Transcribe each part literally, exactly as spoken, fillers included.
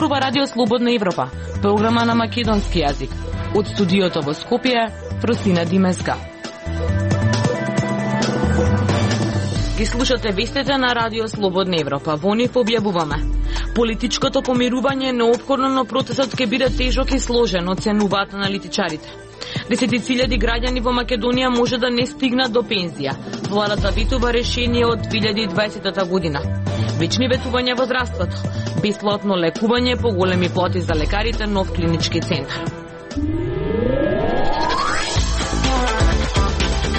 зборува Радио Слободна Европа, програма на македонски јазик. Од студиото во Скопје, Просина Димеска. Ги слушате вестите на Радио Слободна Европа. Во нив објавуваме: политичкото помирување е неопходно, но процесот ќе биде тежок и сложен, оценуваат аналитичарите. Десетици илјади граѓани во Македонија може да не стигнат до пензија. Владата ветува решение од две илјади и дваесета година. Вечни ветувања во здравството, бесплатно лекување, поголеми плати за лекарите, нов клинички центар.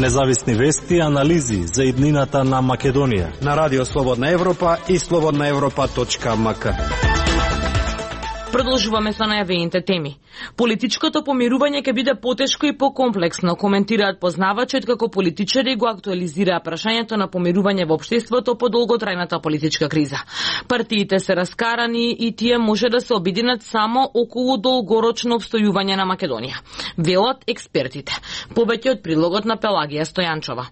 Независни вести и анализи за иднината на Македонија на Радио Слободна Европа и слободна европа точка ем ка. Продолжуваме со најавените теми. Политичкото помирување ќе биде потешко и покомплексно, коментираат познавачи, како политичари го актуализираа прашањето на помирување во општеството по долготрајната политичка криза. Партиите се раскарани и тие може да се обединат само околу долгорочно обстојување на Македонија, велат експертите. Повеќе од прилогот на Пелагија Стојанчова.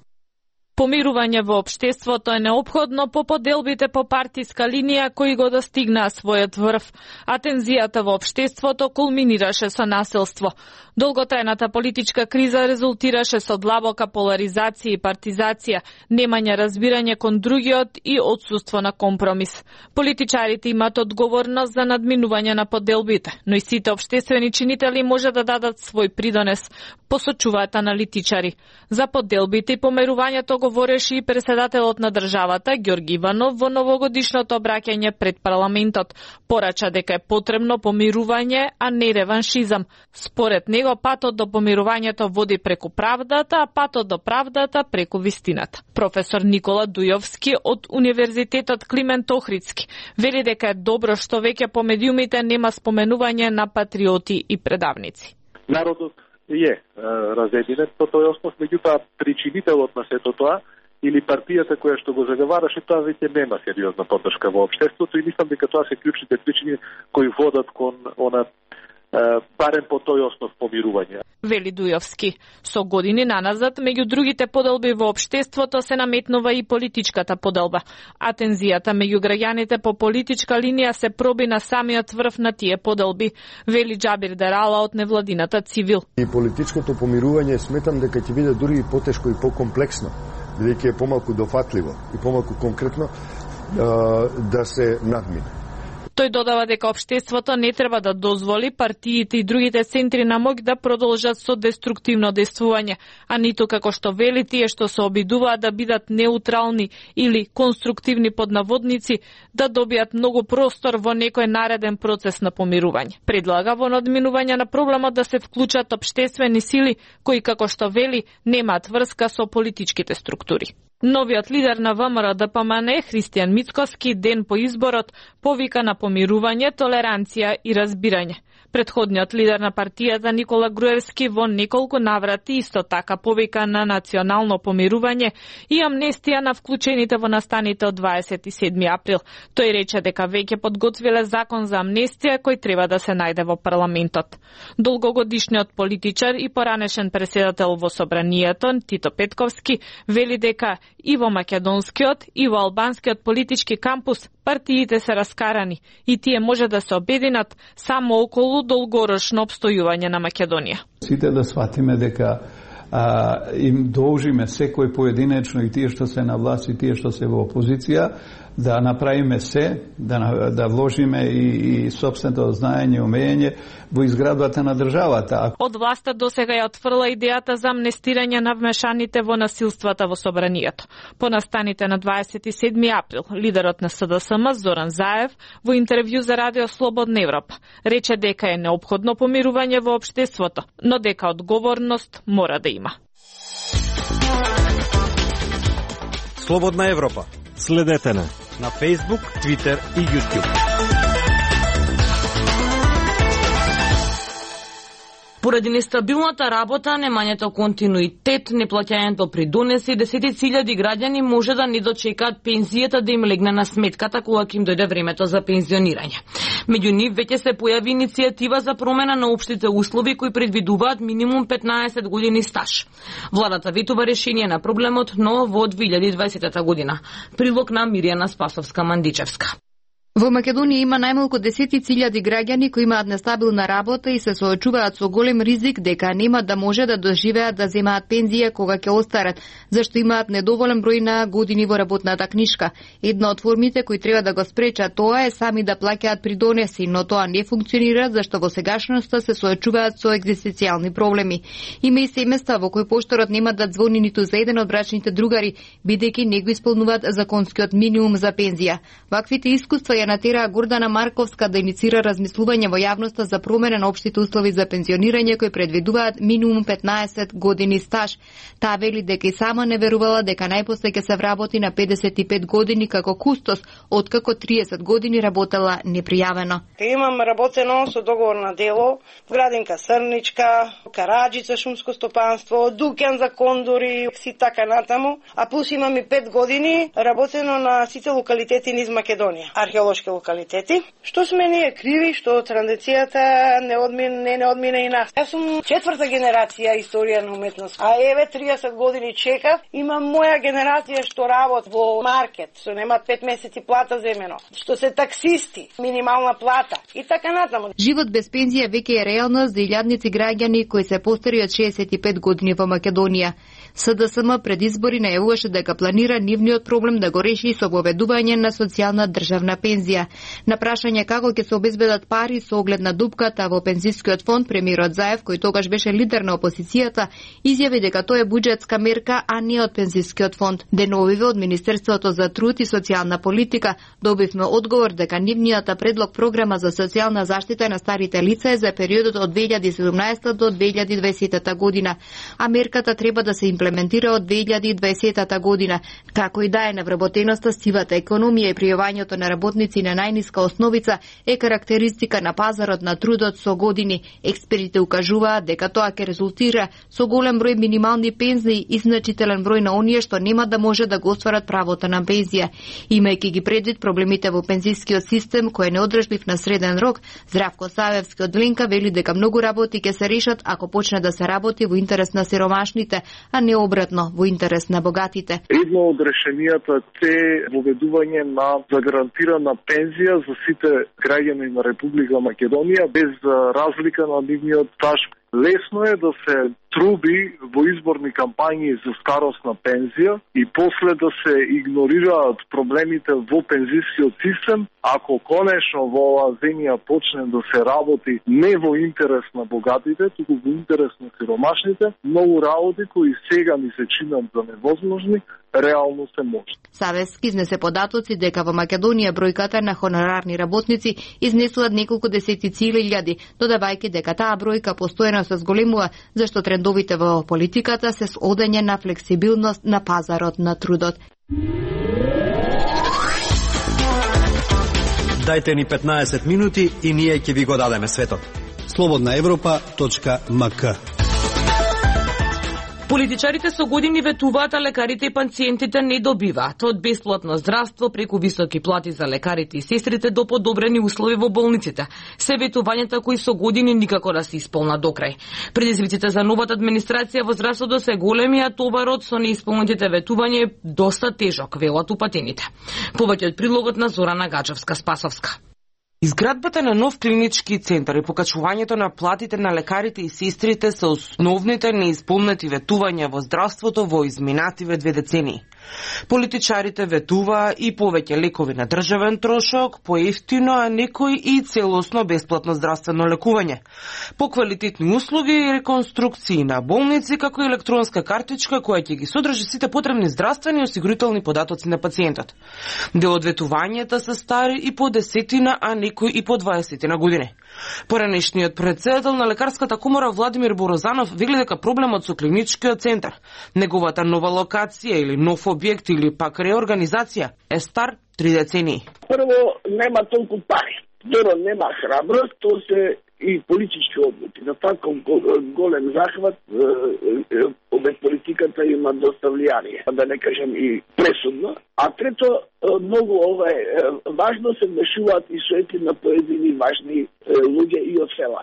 Помирување во општеството е неопходно по поделбите по партиска линија кои го достигнаа својот врв, а тензијата во општеството кулминираше со насилство. Долготрајната политичка криза резултираше со длабока поларизација и партизација, немање разбирање кон другиот и отсуство на компромис. Политичарите имаат одговорност за надминување на поделбите, но и сите општествени чинители може да дадат свој придонес, посочуваат аналитичари. За поделбите и помирувањето говореше и председателот на државата Ѓорги Иванов во новогодишното обраќање пред парламентот. Порача дека е потребно помирување, а не реваншизам. Според него патот до помирувањето води преку правдата, а патот до правдата преку вистината. Професор Никола Дујовски од Универзитетот Климент Охридски вели дека е добро што веќе по медиумите нема споменување на патриоти и предавници. Народот е разединет по тој основ, меѓутоа причинителот на сето тоа или партијата која што го заговараше, тоа веќе нема сериозна поддршка во општеството и мислам дека тоа се клучните причини кои водат кон она барем по тој основ помирување. Вели Дујовски. Со години наназад, меѓу другите поделби во општеството се наметнува и политичката поделба, а тензијата меѓу граѓаните по политичка линија се проби на самиот врв на тие поделби, вели Џабир Дерала од невладината Цивил. И политичкото помирување сметам дека ќе биде дури и потешко и покомплексно, бидејќи е помалку дофатливо и помалку конкретно да се надмине. Тој додава дека општеството не треба да дозволи партиите и другите центри на моќ да продолжат со деструктивно действување, а ниту како што вели тие што се обидуваат да бидат неутрални или конструктивни поднаводници, да добијат многу простор во некој нареден процес на помирување. Предлага во надминување на проблемот да се вклучат општествени сили кои, како што вели, немаат врска со политичките структури. Новиот лидер на ВМРО Д П М Н, Христијан Мицковски, ден по изборот, повика на помирување, толеранција и разбирање. Предходниот лидер на партијата Никола Груевски во неколку наврати исто така повика на национално помирување и амнестија на вклучените во настаните од дваесет и седми април. Тој рече дека веќе подготвиле закон за амнестија кој треба да се најде во парламентот. Долгогодишниот политичар и поранешен претседател во собранието Тито Петковски вели дека и во македонскиот и во албанскиот политички кампус партиите се раскарани и тие може да се обединат само околу долгорочно обстојување на Македонија. Сите да сватиме дека а, им должиме секој поединечно и тие што се на власт и тие што се во опозиција да направиме се, да, да вложиме и, и собственото знаење и умење во изградбата на државата. Од власта досега ја отфрла идејата за амнестирање на вмешаните во насилствата во собранието. По настаните на дваесет и седми април, лидерот на С Д С М Зоран Заев во интервју за Радио Слободна Европа рече дека е неопходно помирување во општеството, но дека одговорност мора да има. Слободна Европа. Следете на на Facebook, Twitter и YouTube. Поради нестабилната работа, немањето континуитет, неплаќањето придонеси, десетици илјади граѓани може да не дочекаат пензијата да им легне на сметката кога ќе им дојде времето за пензионирање. Меѓу нив веќе се појави иницијатива за промена на општите услови кои предвидуваат минимум петнаесет години стаж. Владата ветува решение на проблемот, но во две илјади и дваесета година. Прилог на Миријана Спасовска-Мандичевска. Во Македонија има најмалку десетици илјади граѓани кои имаат нестабилна работа и се соочуваат со голем ризик дека нема да може да доживеат да земаат пензија кога ќе остарат, зашто имаат недоволен број на години во работната книшка. Една од формите кои треба да го спречат тоа е сами да плаќаат придонеси, но тоа не функционира зашто во сегашноста се соочуваат со екзистенцијални проблеми. Има и семејства во кои пошторот нема да звони ниту за еден од брачните другари, бидејќи не го исполнуваат законскиот минимум за пензија. Ваквите искуства ја натера Гордана Марковска да иницира размислување во јавноста за промена на општите услови за пензионирање кои предвидуваат минимум петнаесет години стаж. Таа вели дека и сама не верувала дека најпосле ќе се вработи на педесет и пет години како кустос, откако триесет години работела непријавено. Имам работено со договор на дело, градинка Срничка, караджица шумско стопанство, дуќан за кондори, си така натаму, а плюс имам и пет години работено на сите локалитети низ Македонија, археолошки локалитети. Што сме ние криви што традицијата не одмина, не, не одмина и нас. Јас сум четврта генерација историја на уметност, а еве триесет години чекав. Имам моја генерација што работ во маркет, што немаат пет месеци плата земено, што се таксисти, минимална плата и така натаму. Живот без пензија веќе е реалност за илјадници граѓани кои се постари од шеесет и пет години во Македонија. СДСМ пред избори најавуваше дека планира нивниот проблем да го реши со воведување на социјална државна пензија. На прашање како ќе се обезбедат пари со оглед на дупката во пензискиот фонд, премиерот Заев, кој тогаш беше лидер на опозицијата, изјави дека тоа е буџетска мерка, а не од пензискиот фонд. Деновиве од Министерството за труд и социјална политика добивме одговор дека нивниот предлог програма за социјална заштита на старите лица е за периодот од две илјади и седумнаесета до две илјади и дваесета година, а мерката треба да се имплементира од две илјади и дваесета година, како и да е навработеноста, сивата економија и пријавањето на работници на најниска основица е карактеристика на пазарот на трудот со години. Експертите укажуваат дека тоа ќе резултира со голем број минимални пензии и значителен број на оние што нема да може да го остварат правото на пензија. Имајќи ги предвид проблемите во пензискиот систем кој е неодржлив на среден рок, Здравко Савевски од Ленка вели дека многу работи ќе се решат ако почне да се работи во интерес на сиромашните, а не обратно, во интерес на богатите. Едно од решенијата е воведување на загарантирана пензија за сите граѓани на Република Македонија без разлика на нивниот стаж. Лесно е да се труби во изборни кампањи за старосна пензија и после да се игнорираат проблемите во пензискиот систем, ако конечно во оваа земја почне да се работи не во интерес на богатите, туку во интерес на сиромашните, многу работи кои сега ни се чинат за невозможни, реално се може. Савески изнесе податоци дека во Македонија бројката на хонорарни работници изнесуваат неколку десетици илјади, додавајќи дека таа бројка постојано се зголемува, зашто трендовите во политиката се одење на флексибилност на пазарот на трудот. Дајте ни петнаесет минути и ние ќе ви го дадеме светот. слободна европа точка ем ка. Политичарите со години ветуваат, а лекарите и пациентите не добиваат. Од бесплатно здравство преку високи плати за лекарите и сестрите до подобрени услови во болниците. Се ветувањата кои со години никако да се исполнат до крај. Предизвиците за новата администрација во здравството се големи, а товарот со неисполнетите ветувања е доста тежок, велат упатените. Повеќе од прилогот на Зорана Гаджевска-Спасовска. Изградбата на нов клинички центар и покачувањето на платите на лекарите и сестрите се основните неисполнети ветувања во здравството во изминативе две децении. Политичарите ветуваа и повеќе лекови на државен трошок, поевтино, а некои и целосно бесплатно здравствено лекување, поквалитетни услуги и реконструкции на болници, како и електронска картичка која ќе ги содржи сите потребни здравствени и осигурителни податоци на пациентот. Дел од ветувањата се стари и по десетина, а некои и по дваесетина години. Поранешниот председател на лекарската комора Владимир Борозанов вели дека проблемот со клиничкиот центар, неговата нова локација или нов објект или пак реорганизација е стар три децении. Прво, нема толку пари. Второ, нема храброст, то се и политички одлуки. На таков голем захват, обе политиката има доста влијание, да не кажем и пресудно. А трето, многу ова е важно се вмешуваат и соети на поедини важни луѓе и од села.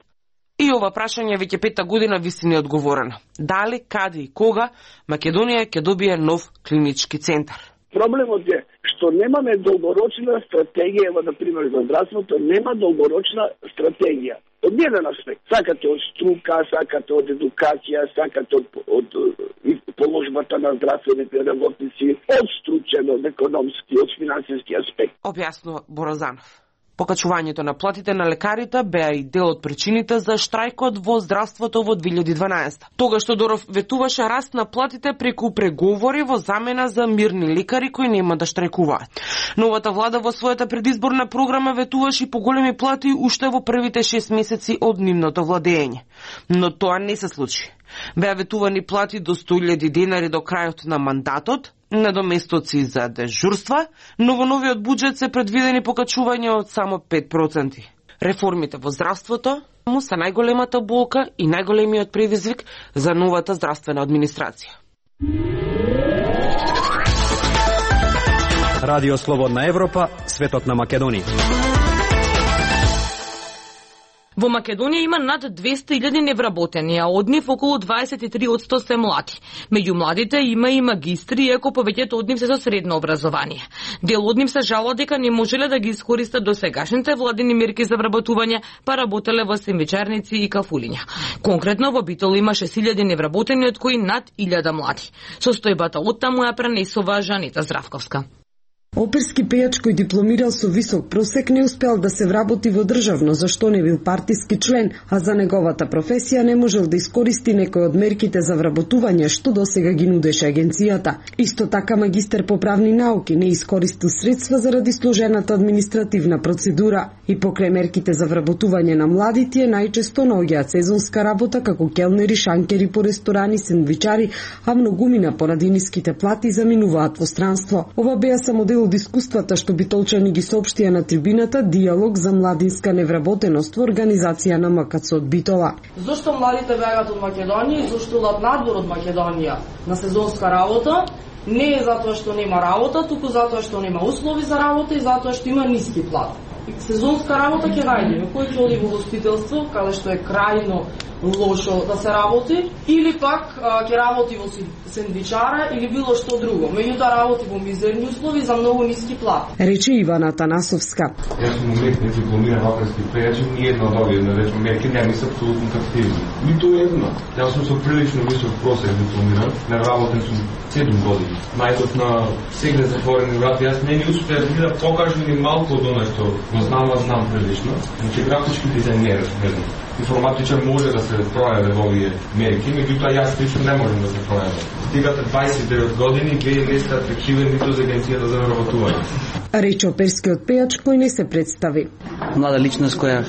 И ова прашање веќе пета година виси неодговорено. Дали, каде и кога Македонија ќе добие нов клинички центар? Проблемот е што немаме долгорочна стратегија, ево, например, за здравството, нема долгорочна стратегија. Од еден аспект. Сакате од струка, сакате од едукација, сакате од, од, од положбата на здравствените работници, од стручен, од економски, од финансиски аспект. Објаснува Борозанов. Покачувањето на платите на лекарите беа и дел од причините за штрајкот во здравството во две илјади и дванаесета. Тогаш Тодоров ветуваше раст на платите преку преговори во замена за мирни лекари кои нема да штрајкуваат. Новата влада во својата предизборна програма ветуваше и поголеми плати уште во првите шест месеци од нивното владење. Но тоа не се случи. Беа ветувани плати до сто илјади денари до крајот на мандатот, недоместоци за дежурства, но во новиот буџет се предвидени покачувања од само пет проценти. Реформите во здравството му се најголемата болка и најголемиот предизвик за новата здравствена администрација. Радио Слободна Европа, светот на Македонија. Во Македонија има над двесте илјади невработени, а од нив околу дваесет и три одсто се млади. Меѓу младите има и магистри, иако повеќето од нив се со средно образование. Дел од нив се жалува дека не можеле да ги искористат досегашните владини мерки за вработување, па работеле во сендвичарници и кафулиња. Конкретно во Битол има шест илјади невработени, од кои над илјада млади. Состојбата од таму ја пренесува Жанита Здравковска. Оперски пејач кој дипломирал со висок просек не успел да се вработи во државно, зашто не бил партиски член, а за неговата професија не можел да искористи некој од мерките за вработување што досега ги нудеше агенцијата. Исто така магистер по правни науки не искористил средства заради сложената административна процедура. И покрај мерките за вработување на млади, тие најчесто наоѓаат сезонска работа како келнери, шанкери по ресторани, сендвичари, а многумина поради ниските плати заминуваат во странство. Ова беа само дел од искуствата што битолчани ги соопштија на трибината диалог за младинска невработеност во организација на МКЦ од Битола. Зошто младите бегат од Македонија и зошто одат надвор од Македонија на сезонска работа? Не е затоа што нема работа, туку затоа што нема услови за работа и затоа што има ниски плати. Сезонска работа ќе најдеме, кој ќе оди во гостителство, каде што е крајно лошо да се работи, или пак ќе работи во сендвичара или било што друго. Меѓутоа работи во мизерни услови за многу ниски плати. Рече Ивана Танасовска. Јас сум уметник, дипломиран оперски пејач, ни едно од овие, да речем, мерки не ми се апсолутно активни. Ниту едно. Јас сум со прилично висок просек дипломиран, не работен сум седум години. Најдов на сегле затворени врати, јас не ми успеа да покажам ни малку од оно што го знам, а знам прилично. Значи графички дизајнер, не знам. Информатичар може да се пројаве во овие мерки, меѓутоа јас лично не можам да се пројавам. Стигате дваесет и девет години, вие не сте атрактивен ниту за агенцијата за вработување. Рече оперскиот пејач кој не се представи. Млада личност која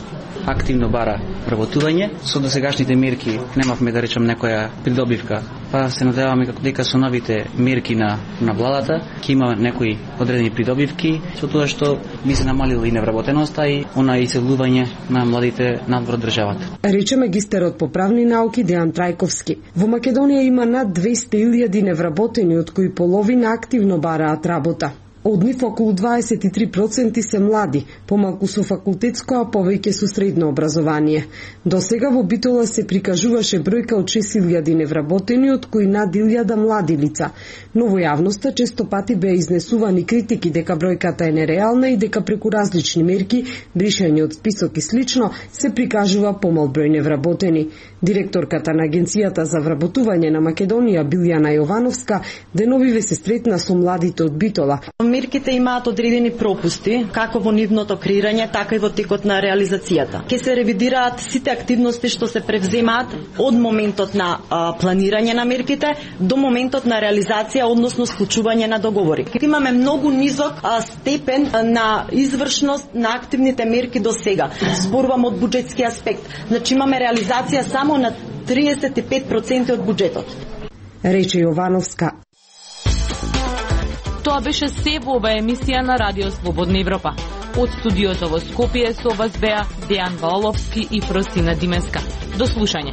активно бара вработување, со досегашните мерки немавме да речем некоја придобивка. Па се надеваме како дека со новите мерки на на владата ќе има некои одредени придобивки, со тоа што би се намалила и невработеноста и она иселување на младите надвор државата. Рече магистерот по правни науки Дејан Трајковски. Во Македонија има над двесте илјади невработени, од кои половина активно бараат работа. Од нив околу дваесет и три проценти се млади, помалку со факултетско, а повеќе со средно образование. До сега во Битола се прикажуваше бројка од шест илјади невработени, од кои над илјада млади лица. Но во јавноста често пати беа изнесувани критики дека бројката е нереална и дека преку различни мерки, бришање од список и слично, се прикажува помал број невработени. Директорката на Агенцијата за вработување на Македонија Билјана Јовановска деновиве се сретна со младите од Битола. Мерките имаат одредени пропусти, како во нивното креирање, така и во текот на реализацијата. Ке се ревидираат сите активности што се превземаат од моментот на а, планирање на мерките до моментот на реализација, односно склучување на договори. Имаме многу низок а, степен на извршност на активните мерки до сега. Зборувам од буџетски аспект. Значи имаме реализација само на триесет и пет проценти од буџетот. Рече Јовановска. Тоа беше се во ова емисија на Радио Слободна Европа. Од студиото во Скопје со вас беа Дејан Валовски и Фросина Димеска. До слушање.